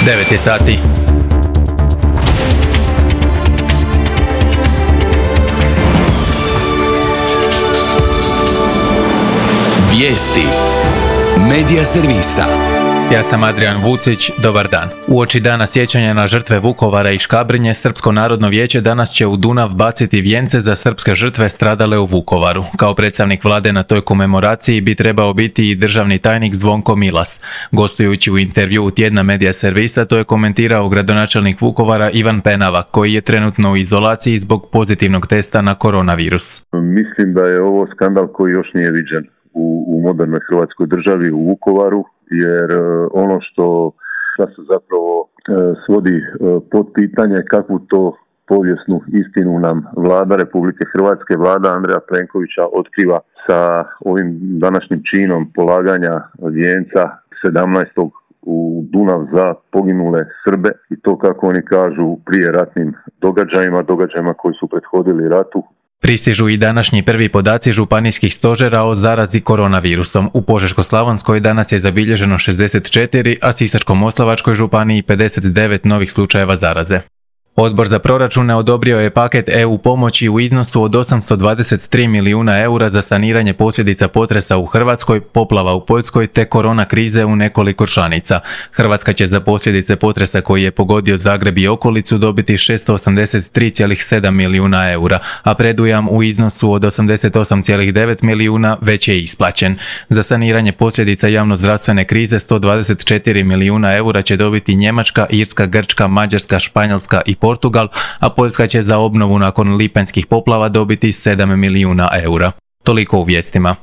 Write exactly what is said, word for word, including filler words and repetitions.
devet je sati. Vijesti Medija servisa. Ja sam Adrian Vucić, dobar dan. Uoči dana sjećanja na žrtve Vukovara i Škabrnje, Srpsko narodno vijeće danas će u Dunav baciti vijence za srpske žrtve stradale u Vukovaru. Kao predstavnik vlade na toj komemoraciji bi trebao biti i državni tajnik Zvonko Milas. Gostujući u intervjuu tjedna Medija servisa, to je komentirao gradonačelnik Vukovara Ivan Penava, koji je trenutno u izolaciji zbog pozitivnog testa na koronavirus. Mislim da je ovo skandal koji još nije viđen u, u modernoj Hrvatskoj državi, u Vukovaru, jer ono što se zapravo svodi pod pitanje kakvu to povijesnu istinu nam vlada Republike Hrvatske, vlada Andreja Plenkovića otkriva sa ovim današnjim činom polaganja vijenca sedamnaestog u Dunav za poginule Srbe i to, kako oni kažu, prije ratnim događajima, događajima koji su prethodili ratu. Pristižu i današnji prvi podaci županijskih stožera o zarazi koronavirusom. U Požeško-slavonskoj danas je zabilježeno šezdeset četiri, a Sisačko-moslavačkoj županiji pedeset devet novih slučajeva zaraze. Odbor za proračune odobrio je paket E U pomoći u iznosu od osamsto dvadeset tri milijuna eura za saniranje posljedica potresa u Hrvatskoj, poplava u Poljskoj te korona krize u nekoliko članica. Hrvatska će za posljedice potresa koji je pogodio Zagreb i okolicu dobiti šesto osamdeset tri zarez sedam milijuna eura, a predujam u iznosu od osamdeset osam zarez devet milijuna već je isplaćen. Za saniranje posljedica javnozdravstvene krize sto dvadeset četiri milijuna eura će dobiti Njemačka, Irska, Grčka, Mađarska, Španjolska i Portugal, a Poljska će za obnovu nakon lipanjskih poplava dobiti sedam milijuna eura. Toliko u vijestima.